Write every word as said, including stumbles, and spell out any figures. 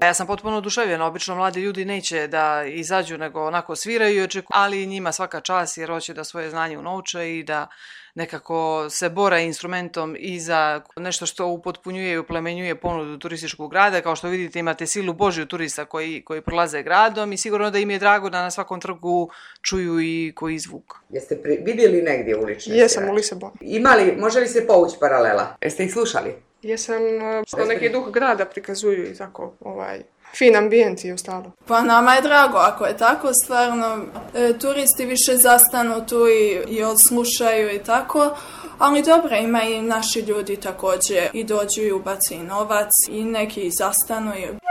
Ja sam potpuno oduševljena, obično mladi ljudi neće da izađu nego onako sviraju, ali njima svaka čast jer hoće da svoje znanje unovče i da nekako se bore instrumentom i za nešto što upotpunjuje i uplemenjuje ponudu turističkog grada. Kao što vidite imate silu Božju turista koji, koji prolaze gradom i sigurno da im je drago da na svakom trgu čuju i koji zvuk. Jeste pri, vidjeli negdje ulične Jesam svirače? U Lisabonu. Imali, može li se povući paralela? Jeste ih slušali? Jesam, što neki duh grada prikazuju i tako, ovaj, fin ambijent i ostalo. Pa nama je drago ako je tako, stvarno, e, turisti više zastanu tu i, i odslušaju i tako, ali dobro, ima i naši ljudi također i dođu i ubaci novac i neki zastanu i